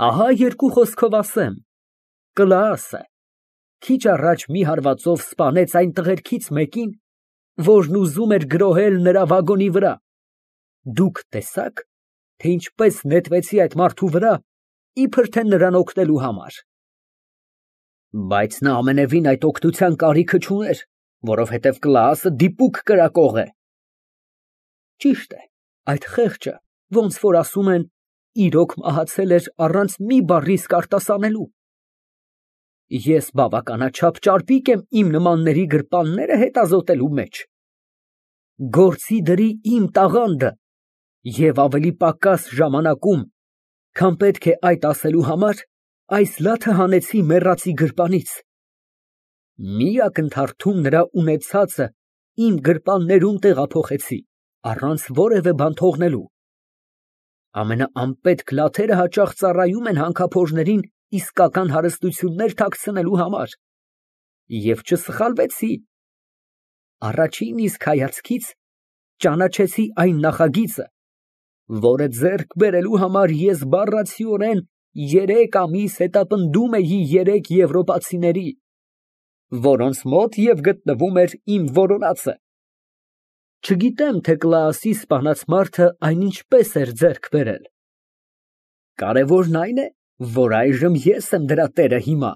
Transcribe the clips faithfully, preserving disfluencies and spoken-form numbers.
Ահա երկու խոսքով ասեմ, կլաս է, քիչ առաջ մի հարվածով սպանեց այն տղերքից մեկին, որն ուզում էր գրոհել նրա վագոնի վրա, դուք տեսա՞ք, թե ինչպես նետվեցի այդ մարդու վրա, իբր թե նրան օգնելու համար։ Բայց նա ամենևին այդ օգնության կարիքը չուներ, որովհետև Կլաասը դիպուկ կրակող է։ Ճիշտ է, այդ խեղճը, ոնց որ ասում են, իրոք մահացել էր առանց մի բառի իսկ արտասանելու։ Ես բավականաչափ ճարպիկ եմ իմ նմանների գրպանները հետազոտելու մեջ։ Գործի դրի իմ տաղանդը և ավելի պակաս ժամանակում, քան պետք է այդ ասելու համար, այս լաթը հանեցի մեռածի գրպանից։ Մի ակնթարթում նրա ունեցածը իմ գրպաններում տեղափոխեցի, առանց որևէ բան թողնելու։ Ամենաանպետք լաթերը հաճախ ծառայում են հանքափորներին իսկական հարստություններ թաքցնելու համար, և չսխալվեցի։ Առաջին իսկ հայացքից ճանաչեցի այն նախագիծը, որը ձեռք բերելու համար ես բառացիորեն երեք ամիս հետապնդում էի երեք եվրոպացիների, որոնց մոտ և գտնվում էր իմ որոնածը։ Չգիտեմ, թե Կլաասի սպանած մարդը այն ինչպես էր ձեռք բերել։ Կարևորն այն է, որ այժմ ես եմ դրա տերը հիմա։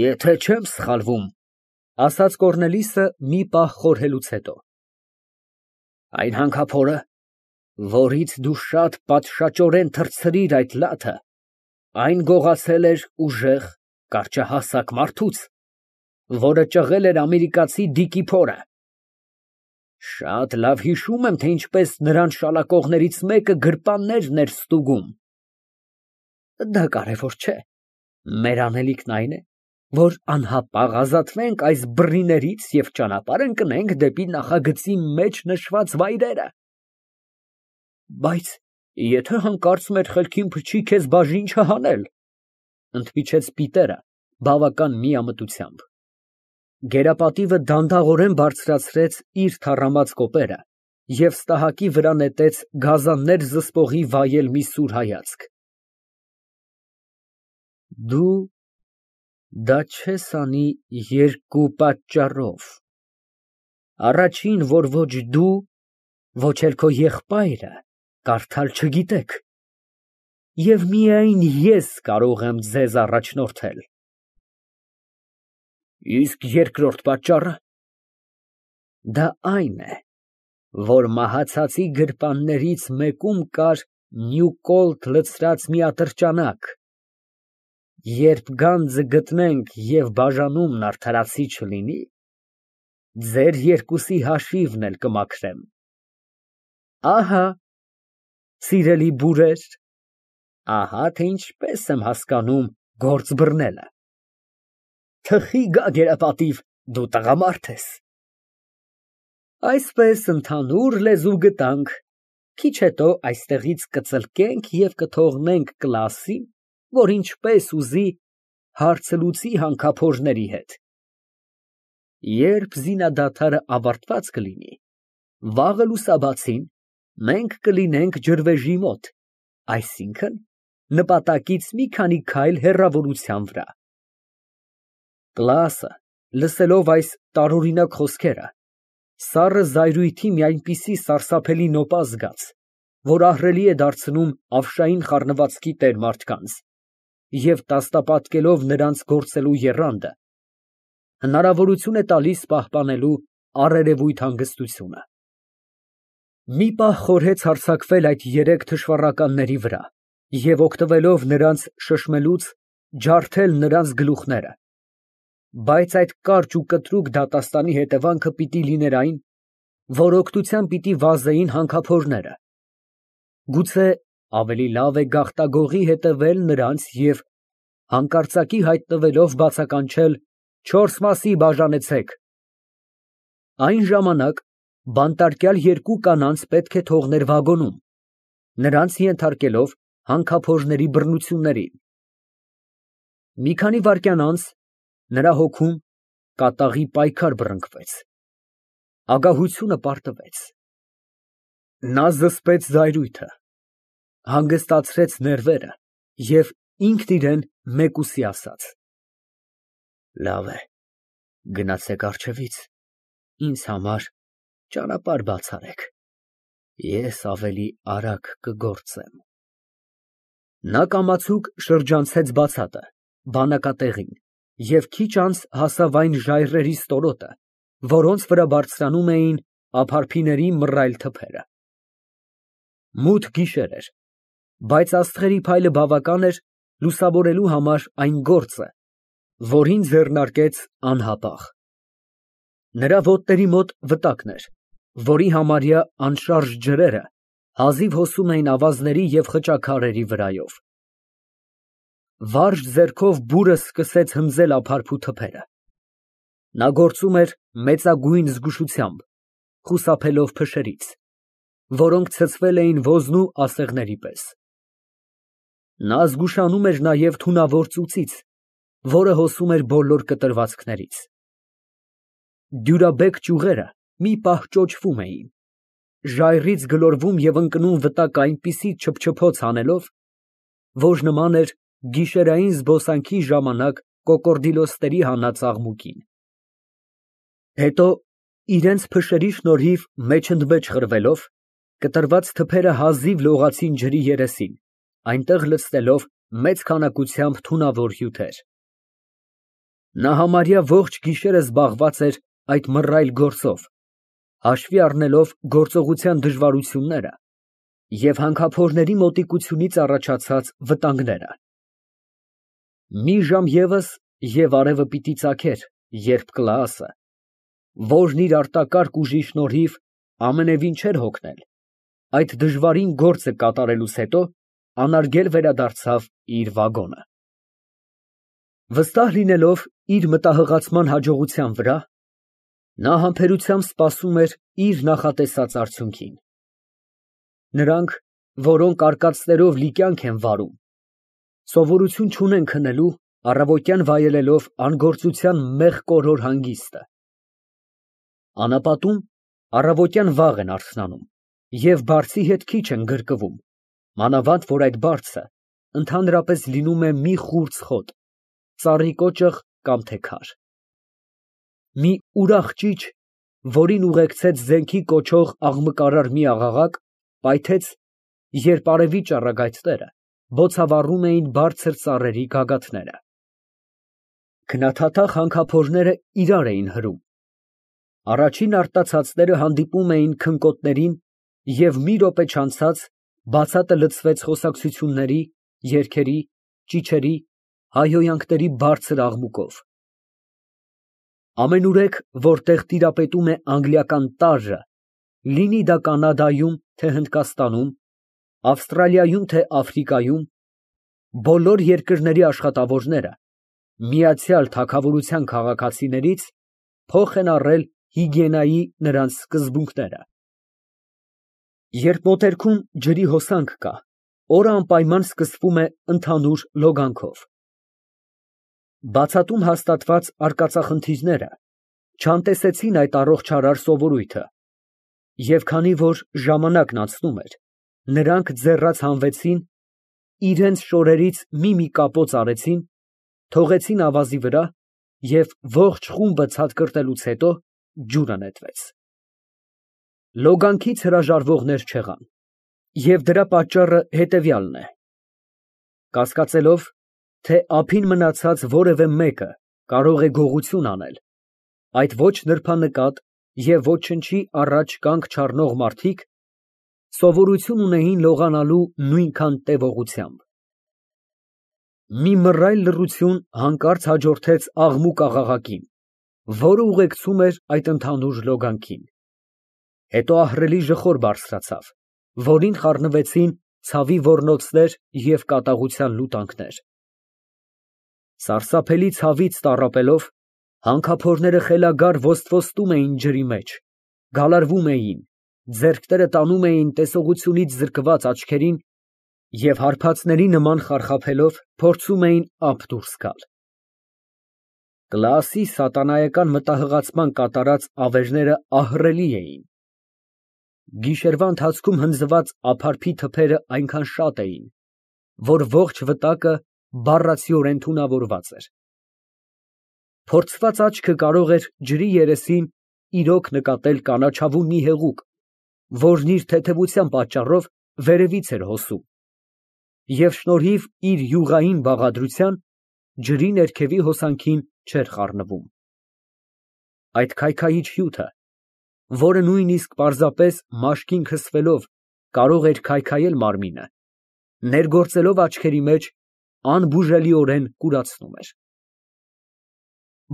Եթե չեմ սխալվում, ֊ ասաց Կոռնելիսը մի պահ խորհելուց հետո, այն հանքափորը, որից դու շատ պատշաճորեն թռցրիր այդ լաթը, այն գողացել էր ուժեղ, կարճահասակ մարդուց, որը ճղել էր ամերիկացի Դիկի փորը։ Շատ լավ հիշում եմ, թե ինչպես նրան շալակողներից մեկը գրպաններն էր ստուգում։ Դա կարևոր չէ, մեր անելիքն այն է, որ անհապաղ ազատվենք այս բռիներից և ճանապարհ ընկնենք դեպի նախագծի մեջ նշված վայրերը։ Բայց եթե հանկարծ մեր խելքին փչի քեզ բաժին չհանել, ֊ ընդմիջեց Պիտերը բավական միամտությամբ։ Գերապատիվը դանդաղորեն բարձրացրեց իր թառամած կոպերը և ստահակի վրա նետեց գազաններ զսպողի վայել մի սուր հայացք։ Դու դա չես անի երկու պատճառով. առաջին, որ ոչ դու, ոչ էլ քո եղբայրը կարդալ չգիտեք, և միայն ես կարող եմ ձեզ առաջնորդել։ Իսկ երկրորդ պատճառը։ Դա այն է, որ մահացածի գրպաններից մեկում կար Նյուկոլտ լցրած մի ատրճանակ, երբ գանձը գտնենք և բաժանումն արդարացի չլինի, ձեր երկուսի հաշիվն էլ կմաքրեմ։ Ահա, սիրելի բուրեր, ահա թե ինչպես եմ հասկանում գործ բռնելը։ Թխի գա, գերապատիվ, դու տղամարդ ես։ Այսպես ընդհանուր լեզու գտանք, քիչ հետո այստեղից կծլկենք և կթողնենք Կլասին, որ ինչպես ուզի հարցը լուծի հանքափորների հետ։ Երբ զինադադարը ավարտված կլինի, վաղը լուսաբացին մենք կլինենք ջրվեժի մոտ, այսինքն՝ նպատակից մի քանի քայլ հեռավորության վրա։ Կլաասը, լսելով այս տարօրինակ խոսքերը, սառը զայրույթի մի այնպիսի սարսափելի նոպա զգաց, որ ահռելի է դարձնում ավշային խառնվածքի տեր մարդկանց, և տաստապատկելով նրանց գործելու եռանդը, հնարավորություն է տալիս պահպանելու առերևույթ հանգստությունը։ Մի պահ խորհեց հարձակվել այդ երեք թշվառականների վրա և, օգտվելով նրանց շշմելուց, ջարդել նրանց գլուխները, բայց այդ կարճ ու կտրուկ դատաստանի հետևանքը պիտի լիներ այն, որ օգնության պիտի վազեին հանքափորները։ Գուցե ավելի լավ է գաղտագողի հետևել նրանց և, հանկարծակի հայտնվելով, բացականչել չորս մասի բաժանեցեք։ Այն ժամանակ բանտարկյալ երկու կանանց պետք է թողներ վագոնում, նրանց ենթարկելով հանքափորների բռնություններին։ Մի քանի վայրկյան անց նրա հոգում կատաղի պայքար բռնկվեց, ագահությունը պարտվեց։ Նա զսպեց զայրույթը, Հանգստացրեց ներվերը և ինքն իրեն մեկուսի ասաց. «Լավ է, գնացեք առջևից, ինձ համար ճանապարհ բաց արեք, ես ավելի արագ կգործեմ»։ Նա կամացուկ շրջանցեց բացատը, բանակատեղին և քիչ անց հասավ այն ժայռերի ստորոտը, որոնց վրա բարձրանում էին ափարփիների մռայլ թփերը։ Մութ գիշեր էր, բայց աստղերի փայլը բավական էր լուսավորելու համար այն գործը, որին ձեռնարկեց անհապաղ։ Նրա ոտների մոտ վտակն էր, որի համարյա անշարժ ջրերը հազիվ հոսում էին ավազների և խճաքարերի վրայով։ Վարժ ձեռքով բուրը սկսեց հնձել ափարփու թփերը։ Նա գործում էր մեծագույն զգուշությամբ, խուսափելով փշերից, որոնք ցցվել էին ոզնու ասեղների պես։ Նա զգուշանում էր նաև թունավոր ծուծից, որը հոսում էր բոլոր կտրվածքներից։ Դյուրաբեկ ճյուղերը մի պահ ճոճվում էին, ժայռից գլորվում և ընկնում վտակը այնպիսի չփչփոց անելով, որ նման էր գիշերային զբոսանքի ժամանակ կոկորդիլոսների հանած աղմուկին։ Հետո, իրենց փշերի շնորհիվ մեջընդմեջ խրվելով, կտրված թփերը հազիվ լողացին ջրի երեսին, այնտեղ լցնելով մեծ քանակությամբ թունավոր հյութեր։ Նա համարյա ողջ գիշերը զբաղված էր այդ մռայլ գործով, հաշվի առնելով գործողության դժվարությունները և հանքափորների մոտիկությունից առաջացած վտանգները։ Մի ժամ ևս, և արևը պիտի ծագեր, երբ Կլաասը, որն իր արտակարգ ուժի շնորհիվ ամենևին չէր հոգնել, այդ դժվարին գործը կատարելուց հետո անարգել վերադարձավ իր վագոնը։ Վստահ լինելով իր մտահղացման հաջողության վրա, նա համբերությամբ սպասում էր իր նախատեսած արդյունքին։ Նրանք, որոնք արկածներով լի կյանք են վարում, սովորություն չունեն քնելու, առավոտյան վայելելով անգործության մեղկորոր հանգիստը։ Անապատում առավոտյան վաղ են արթնանում և բարձի հետ քիչ են գրկվում, մանավանդ որ այդ բարձը ընդհանրապես լինում է մի խուրձ խոտ, ծառի կոճղ կամ թե քար։ Մի ուրախ ճիչ, որին ուղեկցեց զենքի կոչող աղմկարար մի աղաղակ, պայթեց, երբ արևի ճառագայթները բոցավառում էին բարձր ծառերի գագաթները։ Քննադատախ հանքափորները իրար էին հրում։ Առաջին արտացածները հանդիպում էին քնկոտներին և մի րոպե չանցած բացատը լցվեց խոսակցությունների, երգերի, ճիչերի, հայհոյանքների բարձր աղմուկով։ Ամենուրեք, որտեղ տիրապետում է անգլիական տարրը, լինի դա Կանադայում, թե Հնդկաստանում, Ավստրալիայում, թե Աֆրիկայում, բոլոր երկրների աշխատավորները միացյալ թագավորության քաղաքացիներից փոխ են առել հիգիենայի նրանց սկզբունքները։ Երբ մոտերքում ջրի հոսանք կա, օրը անպայման սկսվում է ընդհանուր լոգանքով։ Բացատում հաստատված արկածախնդիրները չանտեսեցին այդ առողջարար սովորույթը, և քանի որ ժամանակն անցնում էր, նրանք ձեռաց հանվեցին, իրանց շորերից մի֊մի կապոց արեցին, թողեցին ավազի վրա և ողջ խումբը ցատկրտելուց հետո ջուրը նետվեց։ Լոգանքից հրաժարվողներ չեղան, և դրա պատճառը հետևյալն է. կասկածելով, թե ափին մնացած որևէ մեկը կարող է գողություն անել, այդ ոչ նրբանկատ և ոչնչի առաջ կանգ չառնող մարդիկ սովորություն ունեին լողանալու նույնքան տևողությամբ։ Մի մռայլ լռություն հանկարծ հաջորդեց աղմուկ աղաղակին, որը ուղեկցում էր այդ ընդհանուր լոգանքին։ Հետո ահռելի ժխոր բարձրացավ, որին խառնվեցին ցավի ոռնոցներ և կատաղության լուտանքներ։ Սարսափելի ցավից տառապելով, հանքափորները խելագար ոստվոստում էին ջրի մեջ, գալարվում էին, ձեռքները տանում էին տեսողությունից զրկված աչքերին և հարբածների նման խարխափելով փորձում էին ափ դուրս գալ։ Կլաասի սատանայական մտահղացման կատարած ավերները ահռելի էին։ Գիշերվա ընթացքում հնձված ափարփի թփերը այնքան շատ էին, որ ողջ վտակը բառացիորեն թունավորված էր։ Փորձված աչքը կարող էր ջրի երեսին իրոք նկատել կանաչավուն մի հեղուկ, որն իր թեթևության պատճառով վերևից էր հոսում, և շնորհիվ իր յուղային բաղադրության ջրի ներքևի հոսանքին չէր խառնվում։ Այդ քայքայիչ հյութը, որը նույնիսկ պարզապես մաշկին քսվելով կարող էր քայքայել մարմինը, ներգործելով աչքերի մեջ, անբուժելիորեն կուրացնում էր։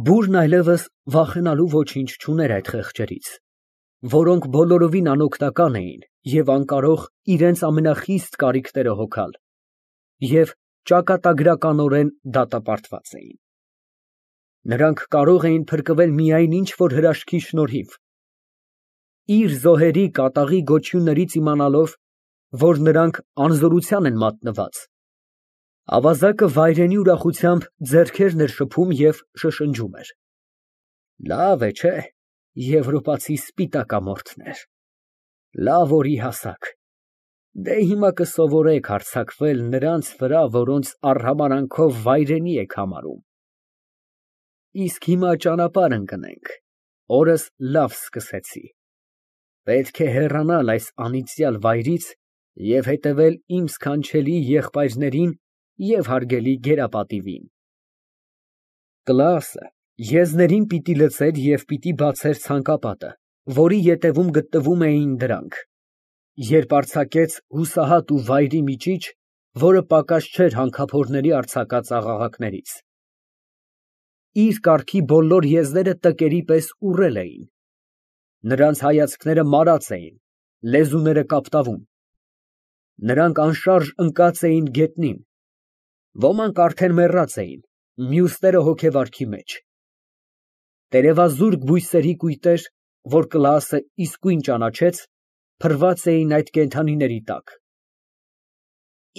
Բուրն այլևս վախենալու ոչինչ չուներ այդ խեղճերից, որոնք բոլորովին անօգնական էին և անկարող իրենց ամենախիստ կարիքները հոգալ, և ճակատագրականորեն դատապարտված էին։ Նրանք կարող էին փրկվել միայն ինչ֊որ հրաշքի շնորհիվ, իր զոհերի կատաղի գոչյուններից իմանալով, որ նրանք անզորության են մատնված, ավազակը վայրենի ուրախությամբ ձեռքերն էր շփում և շշնջում էր. «Լավ է, չէ՞, եվրոպացի սպիտակամորթներ, լավ օրի հասաք, դե հիմա կսովորեք հարձակվել նրանց վրա, որոնց արհամարհանքով վայրենի եք համարում։ Իսկ հիմա ճանապարհ ընկնենք, օրս լավ սկսեցի, պետք է հեռանալ այս անիծյալ վայրից և հետևել իմ սքանչելի եղբայրներին և հարգելի գերապատիվին»։ Կլասը եզներին պիտի լցեր և պիտի բացեր ցանկապատը, որի ետևում գտնվում էին դրանք, երբ արձակեց հուսահատ ու վայրի միջիչ, որը պակաս չէր հանքափորների արձակած աղաղակներից։ Իր կառքի բոլոր եզները տկերի պես ուռել էին, նրանց հայացքները մարած էին, լեզուները կապտավուն, նրանք անշարժ ընկած էին գետնին, ոմանք արդեն մեռած էին, մյուսները հոգեվարքի մեջ։ Տերևազուրկ բույսերի կույտեր, որ Կլաասը իսկույն ճանաչեց, փռված էին այդ կենդանիների տակ։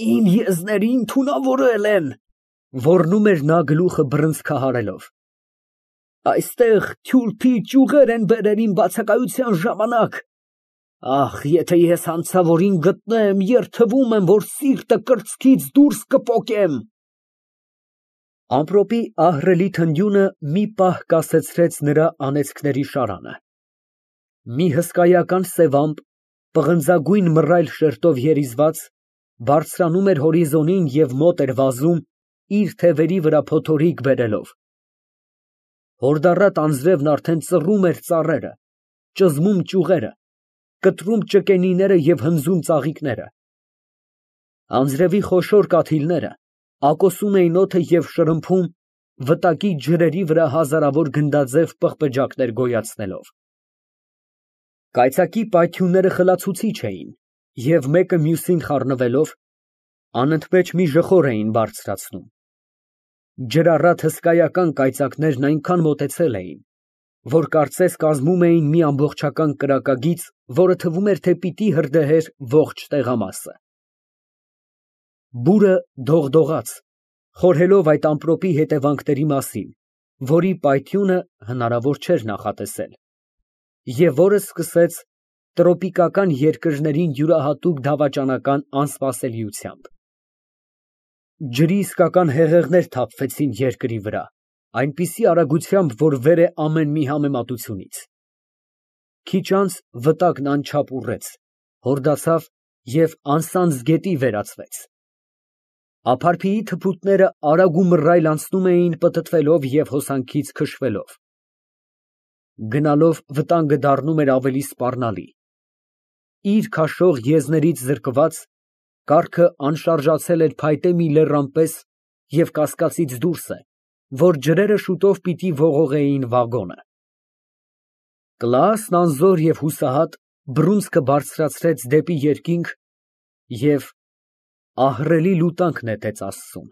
«Իմ եզներին թունավորել են», ֊ ոռնում էր նա գլուխը բռնցքահարելով։ «Այստեղ թյուրփի ճյուղեր են բերել իմ բացակայության ժամանակ։ Ախ, եթե ես հանցավորին գտնեմ, երդվում եմ, որ սիրտը կրծքից դուրս կպոկեմ»։ Ամպրոպի ահռելի թնդյունը մի պահ կասեցրեց նրա անեծքների շարանը։ Մի հսկայական սև ամպ, պղնձագույն մռայլ շերտով երիզված, բարձրանում էր հորիզոնին և մոտ էր վազում, իր թևերի վրա փոթորիկ բերելով։ Հորդառատ անձրևն արդեն ծռում էր ծառերը, ճզմում ճյուղերը, կտրում ճկենիները և հնձում ծաղիկները։ Անձրևի խոշոր կաթիլները ակոսում էին օդը և շրմփում, վտակի ջրերի վրա հազարավոր գնդաձև պղպջակներ գոյացնելով։ Կայծակի պայթյունները խլացուցիչ էին և մեկը մյուսին խառնվելով, անընդմեջ մի ժխոր էին բարձրացնում։ Ջրառատ հսկայական կայծակներն այնքան մոտեցել էին, որ կարծես կազմում էին մի ամբողջական կրակագիծ, որը թվում էր, թե պիտի հրդեհեր ողջ տեղամասը։ Բուրը դողդողաց, խորհելով այդ ամպրոպի հետևանքների մասին, որի պայթյունը հնարավոր չէր նախատեսել, և որը սկսեց տրոպիկական երկրներին յուրահատուկ դավաճանական անսպասելիությամբ։ Ջրի իսկական հեղեղներ թափվեցին երկրի վրա, այնպիսի արագությամբ, որ վեր է ամեն մի համեմատությունից։ Քիչ անց վտակն անչափ ուռեց, հորդացավ և անսանձ գետի վերածվեց։ Ափարփիի թփուտները արագ ու մռայլ անցնում էին պտտվելով և հոսանքից քշվելով։ Գնալով վտանգը դառնում էր ավելի սպառնալի։ Իր քաշող եզներից զրկված, կառքը անշարժացել էր փայտե մի լեռան պես և կասկածից դուրս է, որ ջրերը շուտով պիտի ողողեին վագոնը։ Կլաասն անզոր և հուսահատ բռունցքը բարձրացրեց դեպի երկինք և ահռելի լուտանք նետեց Աստծուն։